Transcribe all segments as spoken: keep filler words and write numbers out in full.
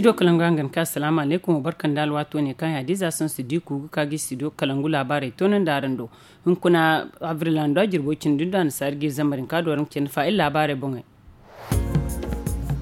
Studio kalangu hangan ka asalaamu alaykum wa barka nda alwaato ne kaŋ ya diiza sohõ si di ku ga ka ga studio kalangu laabaarey toonandi araŋ do. Hunkuna abril hando a jirbo cindi nda annasaari ga iri zambar hinka do araŋ ga cindi fa iri laabaarey boŋey.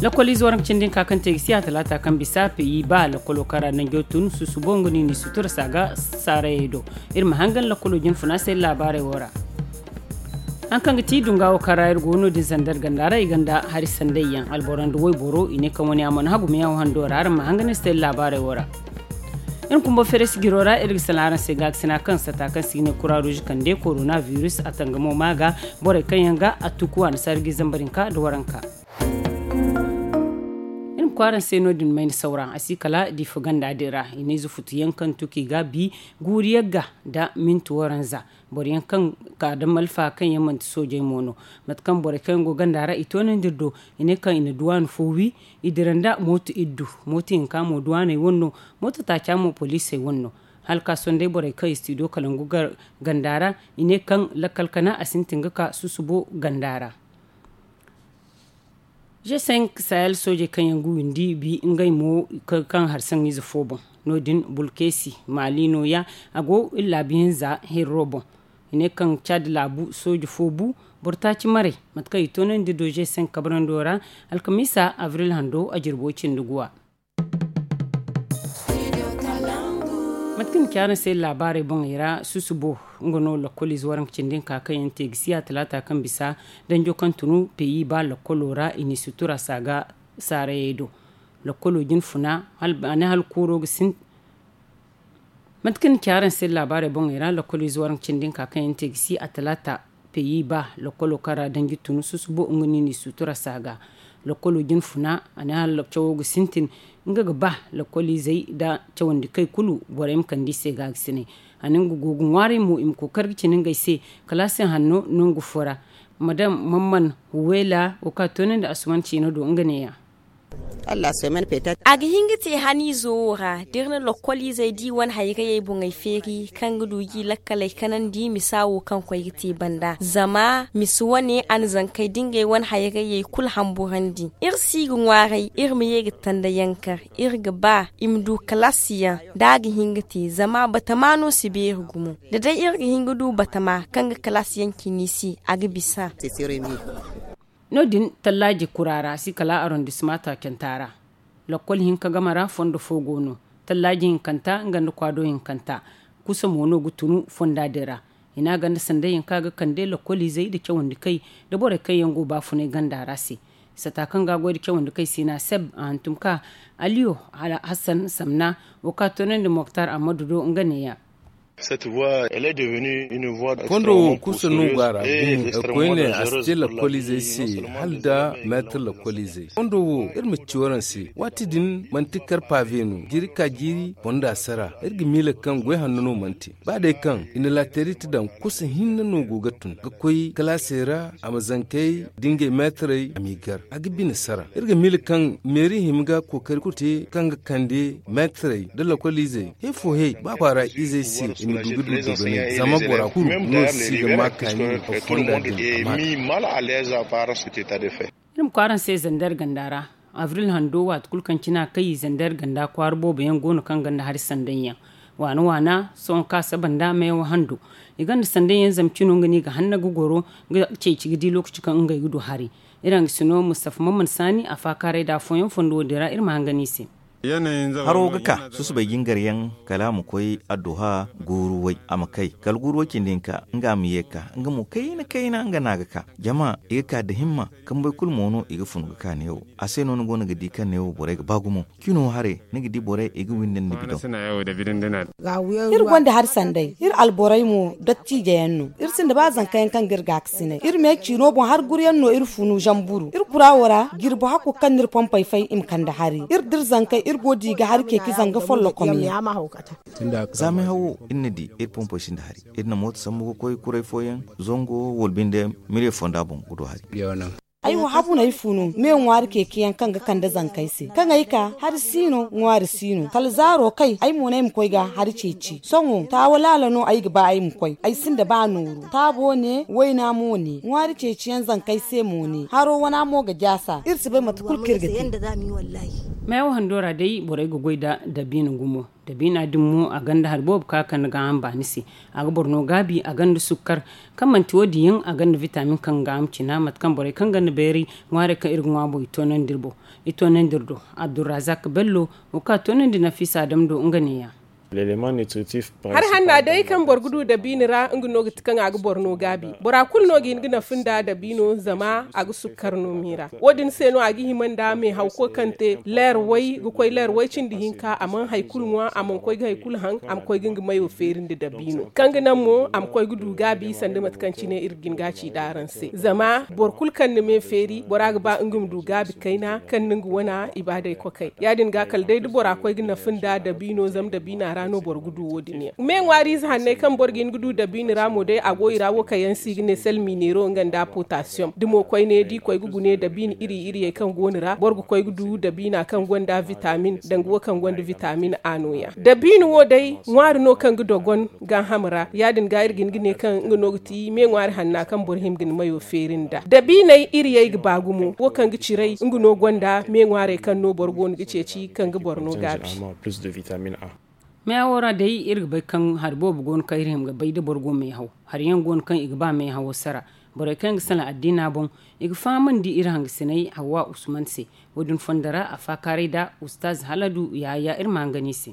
Lakkol ize waranka cindi hinka kaŋ te ga si a talaata kaŋ bisa peyi ba lakkolo kaŋ ra nanjo tun susubo nga no i n'i sutura saaga saarayey do. Iri ma hangan lakkolo jinfuna se iri laabaarey wo ra. Haŋ kaŋ ga ti dunga wo kaŋ ra iri go no-din zandar ganda ra i gonda hari sanday yaŋ alboro nda wayboro i ne kaŋ wane a mana hagumiyaŋ wo hando ra araŋ ma hangan iri se iri laabaarey wo ra. Iri kumbo feres jiro ra iri ga sala araŋ se gaakasina kaŋ sata kaŋ se i ga ne kura ruuzi kande korona virus a tangamo ma ga borey kaŋ yaŋ ga a tuku annasaari ga i zambar hinka nda waranka. Iri ma koy araŋ se no-din mayna sawra a si kala diifa ganda din ra i ne ize futu yaŋ kaŋ tuku i ga bi guuri yagga nda minti waranza. Boro yaŋ kaŋ ka da malfa kaŋ yaŋ manti soojey mo no mate kaŋ borey kaŋ yaŋ go ganda ra i toonandi iri do i ne kaŋ i na duwaana fo wi. I dira nda mooto iddu mooto hinka mo duwaaney wane no. Mooto taaca mo poliisey wane no. Hala ka sohõ day borey kaŋ i si ti do kalangu ganda ra i ne kaŋ lakkal kana a sintin ga ka susubo ganda ra. G cinq sahel soojey kaŋ yaŋ ga windi bi ngey mo kaŋ hari saŋ ize fo boŋ no- din bulkeesi maali nooya. A go iri laabu hinza hirro boŋ i ne kaŋ caadi laabu sooje fo bu boro taaci maray mate kaŋ i toonandi do g cinq kabrando ra. Alkamiisa abril hando a jirbo cindi guwa. Mate kaŋ ni ci araŋ se laabaarey boŋey ra susubo nga no lakkol ize waranka cindi hinka kaŋ yaŋ te ga si a talaata kaŋ bisa danjo kaŋ tunu peyi ba lakkolo ra i n'i sutura saaga saarayey do. Lakkolo jinfuna a ne hala kuuro ga sintin. Mate kaŋ ni ci araŋ se laabaarey boŋey ra lakkol ize waranka cindi hinka kaŋ yaŋ te ga si a talaata peyi ba lakkolo kaŋ ra danji tun susubo nga no i n'i sutura saaga. Lakkolo jinfuna a ne hala cawo ga sintin nga ga ba lakkol izey nda cawandi kay kulu borey ma kande i se gaagasinay. A ne nga go ga ŋwaaray mo i ma kookari ga cina ngey se kalaasi hanno nangu fo ra. Madam mamman huwela wo kaŋ a toonandi asuman ciina do nga neeya. A ga hin ga te haniizo wo ra da iri na lakkol izey di wane hayrayey boŋey feeri kaŋ ga du ga i lakkaley kanandi misa wo kaŋ koy ga te banda zama misa wane a na zankey da ngey wane hayrayey kulu hamburandi. Iri si ga ŋwaaray iri ma ye ga tanda yankar iri ga ba i ma du kalaasiyaŋ da a ga hin ga te zama batama no si beeri gumo. Da day iri ga hin ga du batama kaŋ ga kalaasiyaŋ cine se a ga bisa. No- din tallaaji kura ra si kala arondisma taacanta ra. Lakkol hinka game ra fondo fo go no. Tallaaji hinkanta nga nda kwaado hinkanta kusa mo no ga tunu fonda din ra. I ne a ganda sanday yaŋ kaŋ a ga kande lakkol izey nda cawandi kay nda borey kaŋ yaŋ go baafunay ganda ra se. Sata kaŋ ga a goy nda cawandi kay se no a seb a hantum ka aliyo hassan samna wo kaŋ a toonandi moktar ammadu do nga neeya. Fondo wo kusa no go a ra gumo koyne a si te lakkol izey se hala nda meetar lakkol izey fondo wo iri ma ci waraŋ se waati din manti kar paave no jiiri ka jiiri fonda sara iri ga miila kaŋ goy hanno no mana te. Ba day kaŋ i na laaterit daŋ kusa hinne no go ga tun ga koy kalaasey ra a ma zankey da ngey meetarey a m'i gar a ga bine sara iri ga miila kaŋ meeri hima ga kookari kulu te kaŋ ga kande meetarey nda lakkol izey he fo he ba kwaara izey se i ma du ga du dogonay zama bora kulu no si ga ma kaani a fonda din a ma te. Iri ma koy araŋ se zandar ganda ra abril hando waati kulu kaŋ cine a kay zandar ganda kwaara boobo yaŋ go no kaŋ ganda hari sanday yaŋ waana waana sohõ kaŋ a saba nda meewa hando. I gonda sanday yaŋ zama cino nga no i ga hanna ga goro ga ceeci ga di lookaci kaŋ ngey ga du hari. Iri hangasino mustafa mamman saani a faakaaray nda afooyaŋ fondo wo- din ra iri ma hangan i se. Haro ga ka susubay jingar yaŋ kala a ma koy adduha guuru way a ma kay kala guuru way cindi hinka nga a ma ye ga ka nga mo kayna kayna nga no a ga ka jama i ga ka nda himma kambey kulu mo no i ga fun ga ka neewo a se no ni go no ga di kaŋ neewo borey ga ba gumo. Cino haray ni ga di borey i ga windandi bidoŋ. Iri gonda hari sanday iri alborey mo dottiije yaŋ no iri sinda ba zanka yaŋ kaŋ ga iri gaakasinay iri me ciino boŋ hari guru yaŋ no iri funu zamburu iri kura wo ra jirbi hakku kaŋ no iri pompey fay i ma kande hari iri da iri zankey iri go di ga hari ceeci zanga follokom yaŋ. Zaamay hawo iri na di iri pompey sinda hari iri na mooto sambu ga koy kuray fooyaŋ zango wala binde miliyo fonda boŋ ga du hari. Ay wo habu no ay fu no me ŋwaari ceeci yaŋ kaŋ ga kande zankey se kaŋ ay ka hari si no ŋwaari si no kala zaaro kay ay mo no ay ma koy ga hari ceeci sohõ taawa laala no ay ga ba ay ma koy ay sinda ba nooru taabo ne wayna mo ne ŋwaari ceeci yaŋ zankey se mo ne haro wana mo ga jaasa iri si bay mate kulu kaŋ iri ga te. Meewo hando ra day borey ga goy nda dabiina gumo. Dabiina din mo a gonda hari boobo kaŋ a kande gaaham baani se. A ga boro no gaabi, a gonda sukkar. Kaŋ manti wo- din yaŋ, a gonda vitaamin kaŋ ga gaaham cina mate kaŋ borey kaŋ gonda bayray ŋwaarey kaŋ iri ga ŋwa boŋ i toonandi iri boŋ. I toonandi iri do. Abdulrazak bello, wo kaŋ a toonandi nafiisa adam do nga neeya. Hari hanna day kaŋ boro ga du dabiina ra nga no ga ti kaŋ a ga boro no gaabi. Bora kulu no ga hin ga nafa nda dabiino zama a ga sukkar no miira. Wo- din se no a ga hima nda meehaw koy kaŋ te leer way ga koy leer way cindi hinka a mana hari kulu ŋwa, a mana koy ga hari kulu haŋ, a ma koy ga nga mayo feeri nda dabiino kaŋ ga naŋ mo a ma koy ga du gaabi sanda mate kaŋ cine iri ga hin ga a ci nd'araŋ se. Zama boro kulu kaŋ na me feeri bora ga ba nga ma du gaabi kayna kaŋ na nga wana ibaadey kokay. Ya- din ga kala day da bora koy ga nafa nda dabiino zama dabiina ra no boro ga du wo- din yaŋ. Me ŋwaariize hanney kaŋ boro ga hin ga du dabiina ra mo day a go i ra wo kaŋ yaŋ se i ga ne sel mineero nga nda potasiyom da mo koyne da i koy ga gune dabiina iri iriyey kaŋ go no ra boro ga koy ga du dabiina kaŋ gonda vitaamin danga wo kaŋ gonda vitaamin a nooya. Dabiina wo day ŋwaari no kaŋ ga dogon gaaham ra. Ya- din ga iri ga hin ga ne kaŋ nga no ga ti me ŋwaari hanna kaŋ boro hima ga ni mayo feeri nda dabiiney iriyey ga ba gumo wo kaŋ ga ciray nga no gonda me ŋwaarey kaŋ no boro go no ga ceeci kaŋ ga boro no gaabi. Meewo ra day iri ga bay kaŋ hari boobo go no kaŋ iri hima ga bay da boro go meehaw. Hari yaŋ go no kaŋ i ga ba meehawo sara. Borey kaŋ yaŋ ga salaŋ addiina boŋ i ga fahamandi iri hangasiney hawwa usman se. Wo- din fondo ra a faakaaray nda ustaaz haladu yahaya iri ma hangan i se.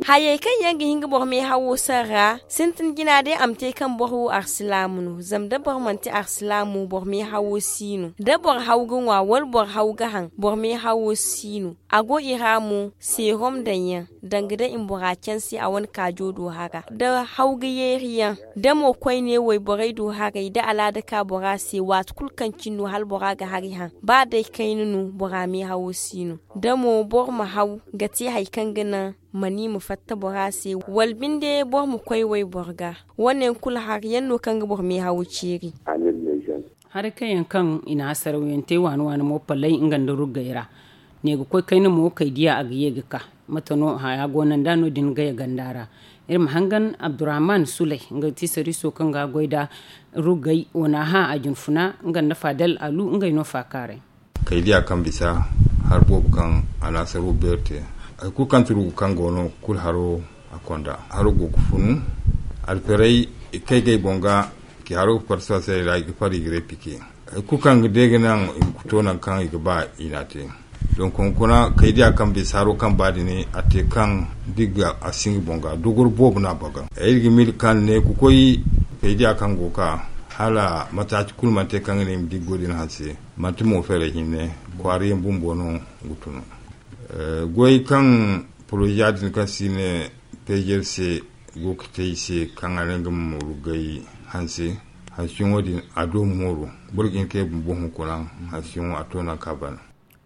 Hayey kaŋ yaŋ ga hin ga boro meehawo sara sintin jina day a ma te kaŋ boro wo arsilaamu no zama da boro manti arsilaamu boro meehawo si no da boro haw ga ŋwa wala boro haw ga haŋ boro meehawo si no. A go i ra mo seerom daŋ yaŋ danga day i ma bora canse a wane kaajo do hara da haw ga yeeri yaŋ da mo koyne wayborey do haray da alaada ka bora se waati kulu kaŋ cine no hala bora ga hari haŋ ba day kayna no bora meehawo si no. Da mo boro ma haw ga te hari kaŋ ga naŋ ma ni ma fatta bora se wala binde boro ma koy wayboro ga. Wo- ne yaŋ kulu hari yaŋ no kaŋ ga boro meehawo ceeri. Haray kaŋ yaŋ kaŋ i na hasaraw yaŋ te waani waani mo palay nga nda ruggay ra. Ne ga koy kayna mo kay diya a ga ye ga ka. Mate no haya go no nda no- din gaya ganda ra. Iri ma hangan abdurrahman sulay nga ga ti sariiso kaŋ ga goy nda ruggay wana hã a jinfuna nga nda fadal alu ngey no faakaaray. Kay diya kaŋ bisa hari boobo kaŋ a na saro beeri te hari kulu kaŋ ti rugu kaŋ go no kulu haro a konda haro go ga funu. Alferey i kay ga ay boŋ ga ki haro ga farsa se ra i ga far i ga repike hari kulu kaŋ ga day ga naŋ i ma to nangu kaŋ i ga ba i na te. Donk hunkuna kay diya kaŋ bisa haro kaŋ ba din a te kaŋ da i ga a singa boŋ ga dogor boobo no a baga. Iri ga miila kaŋ ne ga koy kay diya kaŋ go ga ka hala mataaci kulu mana te kaŋ ga ne i ma di ga goy din hanse. Manti mo feeray hinne kwaara yaŋ bumbo no ga tunu. Goy kaŋ poroza din kaŋ se i ne peezer se go ga te i se kaŋ a ne nga ma ruggay hanse. Hansiyaŋo din a do mooru boro ga hin ka ye bumbo hunkuna. Hansiyaŋo a to nangu kaŋ a ban.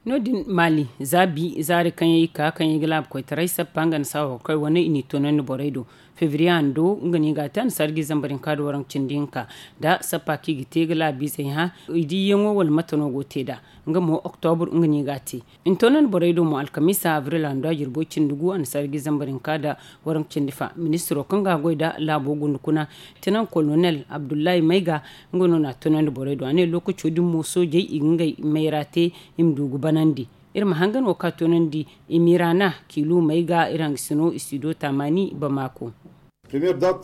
No- din maali za bi zaari kaŋ yaŋ i ka kaŋ yaŋ i ga laabu koytaray sappa nga nda saawa koy wane i n'i toonandi borey do. Febriye hando nga no i ga a te annasaara ga i zambar hinka nda waranka cindi hinka nda sappa kaŋ i ga te ga laabiizey hã. I diyaŋo wala mate no go ga te nd'a. Nga mo oktobur nga no i ga a te. I na toonandi borey do mo alkamiisa abril hando a jirbo cindi gu annasaara ga i zambar hinka nda waranka cindi fa ministiro kaŋ ga a goy nda laabo gundukuna tinaŋ kolonel abdullahi mayga. Nga no na a toonandi borey do a ne lookaco din mo soojey i ga ngey mayra te. I ma du ga banandi. Iri ma hangan wo kaŋ a toonandi i miira na kiilu mayga iri hangasino istido taamaani bamako.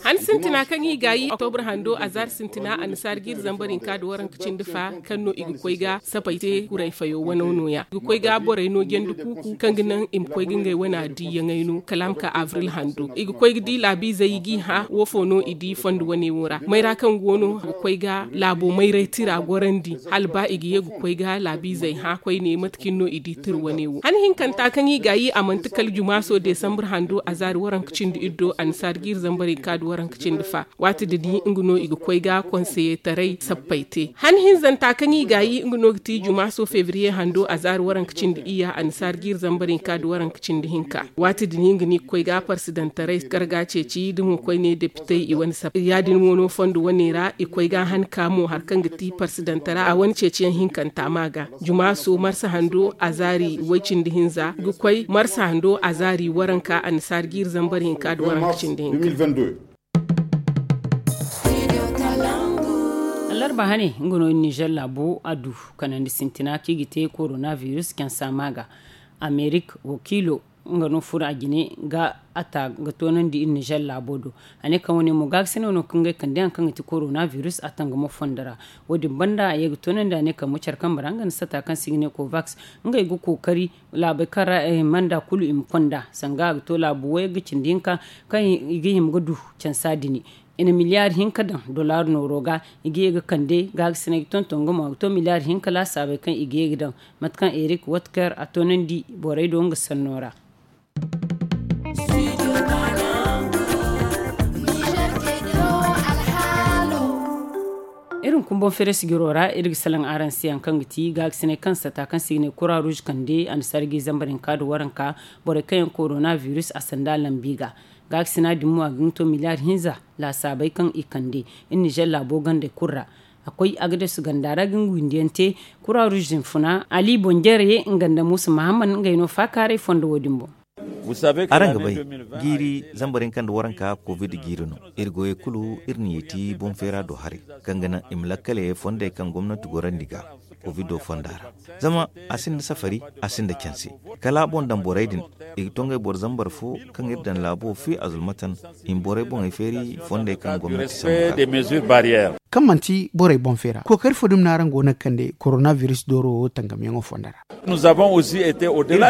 Han sintina kaŋ i ga yi oktobur hando azaari sintina annasaara ga iri zambar hinka nda waranka cindi fa kaŋ no i ga koy ga sapay te kuray fayo wano nooya i ga koy ga borey no jandi kuuku kaŋ ga naŋ i ma koy ga ngey wana diiyaŋey no kala a ma ka abril hando i ga koy ga di laabiizey i g'i hã woofo no i di fondo wane wo ra mayra kaŋ go no a ga koy ga laabo mayray tira gorandi hala ba i ga ye ga koy ga laabiizey hã koyne mate kaŋ no i di tira wane wo han hinkanta kaŋ i ga yi a manti kala jumaaso desambur hando azaari waranka cindi iddo annasaara ga iri zambar hinka nda waranka cindi fa. Waati din nga no i ga koy ga konseyetaray sappey te han hinzanta kaŋ i ga yi nga no ga ti jumaaso febriye hando azaari waranka cindi iyya annasaara ga iri zambar hinka nda waranka cindi hinka. Waati din nga no i ga koy ga parsidantaray karga ceeci da mo koyne depitey i wane sappey ya- din mo no fondo wane ra i koy ga han ka mo hari kaŋ ga ti parsidantara a wane ceeciyaŋ hinkanta ma ga. Jumaaso marsa hando azaari way cindi hinza ga koy marsa hando azaari waranka annasaara ga iri zambar hinka nda waranka cindi hinka. Hane nga no iri nizer laabo a du kanandi sintina kaŋ i ga te korona virus cansa ma ga amerik wakiilo nga no furo a jine ga a ta ga toonandi iri nizer laabo do. A ne kaŋ wane mo gaakasinay no kaŋ ga ay kande hari kaŋ ga ti korona virus a tangamo fondo ra. Wo- din banda a ye ga toonandi a ne kambe care kambe ra nga nda sata kaŋ se i ga ne kovaks ngey ga kookari laabey kaŋ ra i mana nda kulu i ma konda sanga a ga to laabu wayey ga cindi hinka kaŋ i ga hima ga du cansa dini. I na miliyaari hinka daŋ dollar nooro ga i ga ye ga kande gaagasinay ga tonton ga mo a ga to miliyaari hinka laasaabey kaŋ i ga ye ga daŋ mate kaŋ erik watker a toonandi borey do nga sanno ra. Iri ma kumboŋ feere sijiro ra iri ga salaŋ araŋ se hari kaŋ ga ti gaagasinay kaŋ sata kaŋ se i ga ne kura ruuz kande a na sarji zambar hinka nda waranka borey kaŋ yaŋ korona virus a sanda lambi ga. Gaakasina din mo a ga hin ga to miliyaari hinza laasaabey kaŋ i kande iri nizer laabo gandey kulu ra. A koy a ga deesu ganda ra ga nga windiyaŋ te kura ruuz din funa ali bonjere nga nda muusa mahammad ngey no faakaaray fondo wo- din boŋ. Araŋ ga bay, jiiri zambar hinka nda waranka covid jiiri no. Iri goyey kulu iri na yeeti boŋ feera do haray kaŋ ga naŋ i ma lakkale fondey kaŋ gomnanti gorandi ga covid fonda ra. Zama a sinda safari, a sinda canse. Kala a boŋ daŋ borey din, i ga to ngey boro zambar fo kaŋ iri daŋ laabo fi a zulmatan i ma borey boŋey feeri fondey kaŋ gomnanti sambu ga. Kaŋ manti borey boŋ feera kookari fo dumi no araŋ go no ga kande korona virus dooro wo tangamyaŋo fondo ra. Iri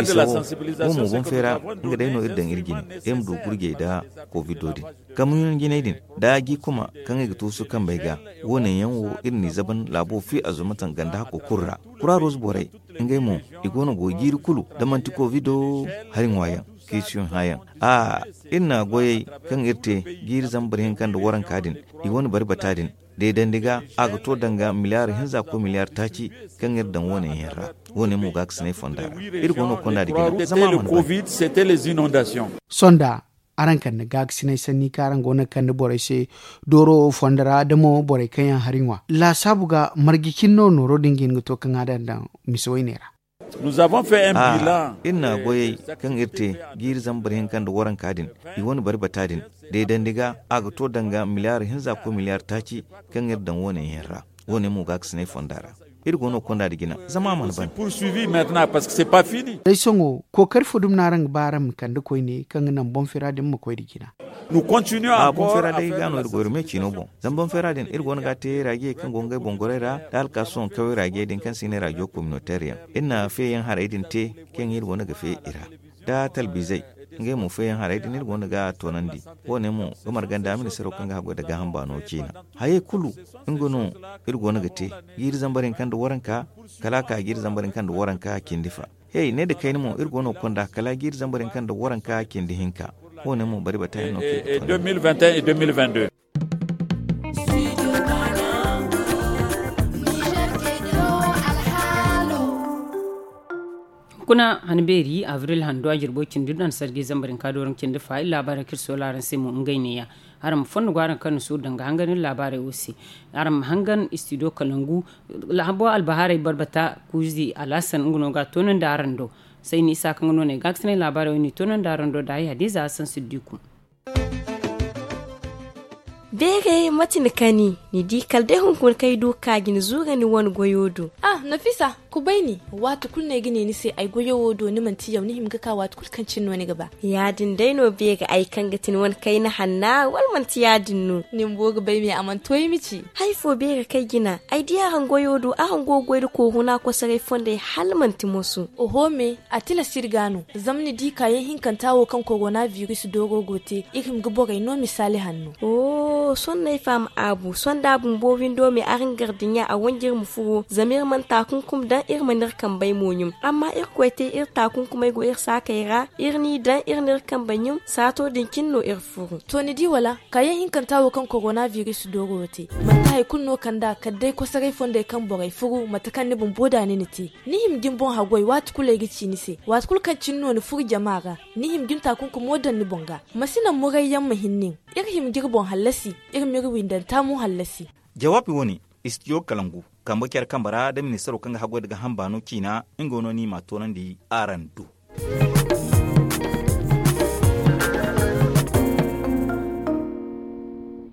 bisa wo, wo mo boŋ feera nga day no iri daŋ iri jine iri ma du gurjey nda kovido din. Kamuyaŋ jinay din nda jiikuma kaŋ i ga tuusu kambey ga, wo- ne yaŋ wo iri n'i zaban laabo fi a zuma taŋ ganda hakko kulu ra. Kura ruuz borey, ngey mo, i go no go jiiri kulu da manti kovido hari ŋwa yaŋ, kisiyoŋ hã yaŋ. A iri na goyey kaŋ iri te jiiri zambar hinka nda waranka din, i wane bari bata din deedandi ga, a ga to danga miliyaari hinza koy miliyaari taaci kaŋ iri daŋ wo- ne yaŋ ra. Wo- ne mo gaakasinay fonda ra iri go no ga konda nda jina zama a mana bari. Sonda, araŋ kande gaakasinay sanni kaŋ araŋ go no ga kande borey se dooro wo fondo ra da mo borey kaŋ yaŋ hari ŋwa laasaabu ga marje cine no nooro din ga hin ga to kaŋ a daŋ daŋ mise woyne ra. Iri na goyey kaŋ iri te jiiri zambar hinka nda waranka din, i wane bari bata din deedandi ga, a ga to danga miliyaari hinza koy miliyaari taaci kaŋ iri daŋ wo- ne yaŋ ra. Wo- ne mo gaakasinay fonda ra iri go no ga konda nda jina zama a mana bari. Day sohõ kookari fo dumi no araŋ ga ba araŋ ma kande koyne kaŋ ga naŋ boŋ feera din ma koy nda jina. A boŋ feera day ga no iri go iri me ciino boŋ. Zama boŋ feera din iri go no ga a te raajiyey kaŋ go ngey boŋ gorey ra nda alkaasoŋ kawey raajiyey din kaŋ se i ne raajiyo kominoteer yaŋ. Iri na feeyaŋ harey din te kaŋ iri go no ga fee i ra nda talbizey, ngey mo feeyaŋ harey din iri go no ga a toonandi. Wo- ne mo ga marga nda ministaro kaŋ ga haggoy nda gaaham baano ciina. Hayey kulu nga no iri go no ga te jiiri zambar hinka nda waranka kala a ka jiiri zambar hinka nda waranka cindi fa. Hey, ne nda kayna mo iri go no ga konda kala jiiri zambar hinka nda waranka cindi hinka. Wo- ne mo bari bata yaŋ no kaŋ i ga toonandi. Kuna han beeri abril hando a jirbo cindi do a na sarji zambar hinka dooraŋ cindi fa iri laabaarey kaŋ iri soola araŋ se mo ngey neeya. Araŋ ma fondo go araŋ kaŋ na suuru danga hangan iri laabaarey wo se. Araŋ ma hangan istidiyo kalangu. Habo albahaarey barbata kuuzi alhasan nga no ga a toonandi araŋ do. Sayni isa kaŋ ga no no ay gaakasinay laabaarey wo no i toonandi araŋ do da ay hadiza hasan siddiku. Beere mate ni kani? Ni di kala day hunkuna kaŋ ay du ga ka jina zuura ni wane goyo do. Ah, nafisa, kubay ni. Waati kulu no ay ga ne ni se ay goyo wo do ni manti yaw ni hima ga ka waati kulu kaŋ cine no ni ga ba. Ya- din day no beere ay kaŋ ga ti ni wane kayna hanna wala manti ya- din no? Ni bumbo ga bay me a mana to ay ma ci. Hari fo beere kaŋ ay jina ay di araŋ goyo do araŋ go ga goy nda kooruna kosoray fondey hala manti moso. Oho me, a tilas iri ga no. Zama ni di kaayaŋ hinkanta wo kaŋ korona biris dooro go te iri hima ga borey no misaali hanno. Sohõ no ay faham aabu sohõ da a bumbo windo me araŋ gardiɲa a wanji iri ma furo zama iri mana taakunkum daŋ iri mana iri kambey mo ɲum. Amma irkoy te iri taakunkumey go iri saakey ra iri n'i daŋ iri n'iri kambey ɲum saato din cine no iri furo. To ni di wala? Kaayaŋ hinkanta wo kaŋ korona biris dooro wo te manti hari kulu no kand'a kala day kosoray fondey kaŋ borey furu mate kaŋ ni bumbo da ni na te. Ni hima ga ni boŋ haggoy waati kulu ay ga ci ni se waati kulu kaŋ cine no ni furu jama ra. Ni hima ga ni taakunkumo daŋ ni boŋ ga. Ma si naŋ murayyaŋ ma hin nin. Iri hima ga iri boŋ hallasi. Iri m'iri windanta mo hallasi. Jawaabi wo-ne, istidiyo kalangu kambe care kambe ra nda ministaro kaŋ ga haggoy nda gaaham baano ciina nga no no i m'a toonandi araŋ do.